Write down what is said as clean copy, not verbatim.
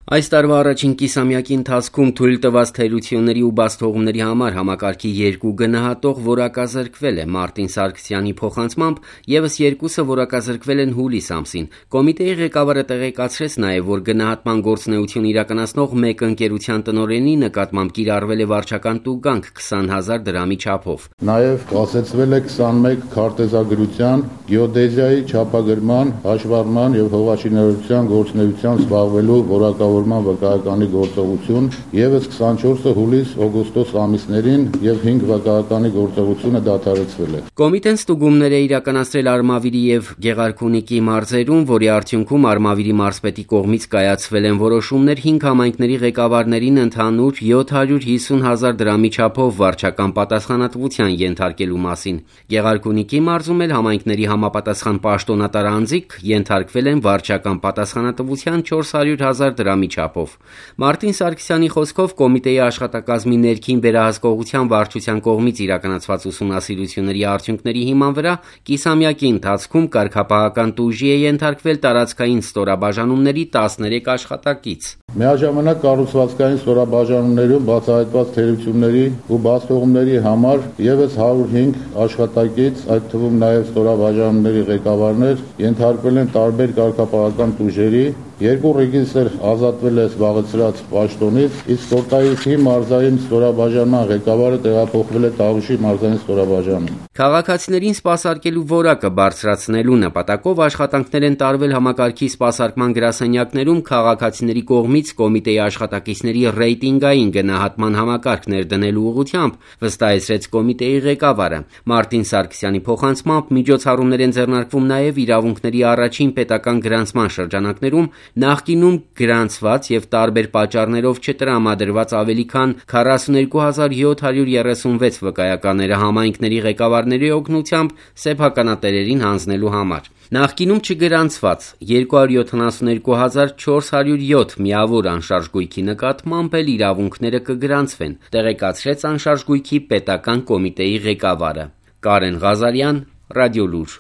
Այս տարվա առաջին կիսամյակի ընթացքում թույլ տված թերությունների ու բացթողումների համար համակարգի 2 գնահատող որակազրկվել է։ Մարտին Սարգսյանի փոխանցմամբ ևս 2-ը որակազրկվել են հուլիս ամսին։ Կոմիտեի ղեկավարը տեղեկացրեց նաև, որ գնահատման գործունեություն իրականացնող մեկ ընկերության տնօրենի նկատմամբ կիրառվել է վարչական տուգանք 20,000 դրամի չափով։ Նաև կասեցվել է 21 քարտեզագրության, գեոդեզիայի չափագրման, հաշվառման եւ հողաշինարարության գործունեությամբ զբաղվելու որակավորման վկայականի գործողություն, ևս 24-ը հուլիս-օգոստոս ամիսներին եւ 5 վկայականի գործողությունը դադարեցվել է։ Կոմիտեն ստուգումներ է իրականացրել Արմավիրի եւ Գեղարքունիքի մարզերում, որի արդյունքում Արմավիրի մարզպետի կողմից կայացվել են որոշումներ 5 համայնքների ղեկավարներին ընդհանուր 750,000 դրամի չափով վարչական պատասխանատվության ենթարկելու մասին։ Գեղարքունիքի մարզում էլ համայնքների համապատասխան պաշտոնատար անձիկ ենթարկվել են վարչական պատասխանատվության 400,000 դրամի չափով։ Մարտին Սարգսյանի խոսքով կոմիտեի աշխատակազմի ներքին վերահսկողության վարչության կողմից իրականացված ուսումնասիրությունների արդյունքների հիման վրա կիսամյակի ընթացքում կարգապահական տուժի է ենթարկվել տարածքային ստորաբաժանումների 13 աշխատակից։ Միաժամանակ կառուցվածքային ստորաբաժանումներում բացահայտված թերությունների ու բացթողումների համար ևս 105 աշխատակից, այդ թվում նաև ստորաբաժանումների ղեկավարներ, ենթարկվել են տարբեր կարգապահական տուժերի, 2 ռեգիստր ազատվել է զբաղեցրած պաշտոնից, իսկ Կորտայիսի մարզային ստորաբաժանման ղեկավարը տեղափոխվել է Տավուշի մարզային ստորաբաժանում։ Քաղաքացիներին սպասարկելու որակը բարձրացնելու նպատակով աշխատանքներ են տարվել համակարգի սպասարկման գրասենյակներում քաղաքացիների կողմից կոմիտեի աշխատակիցների ռեյտինգային գնահատման համակարգ ներդնելու ուղղությամբ, վստահեցրեց կոմիտեի ղեկավարը։ Մարտին Սարգսյանի փոխանցմամբ միջոցառումներ են ձեռնարկվում նաև իրավունքների առաջին պետական գրանցման շրջանակներում նախկինում գրանցված եւ տարբեր պատճառներով չտրամադրված ավելի քան 42,736 վկայականները համայնքների ղեկավարների օգնությամբ սեփականատերերին հանձնելու համար։ Նախկինում չգրանցված 272,407 միավոր անշարժ գույքի նկատմամբ էլ իրավունքները կգրանցվեն, տեղեկացրեց անշարժ գույքի պետական կոմիտեի ղեկավարը։ Կարեն Ղազարյան, Ռադիոլուր։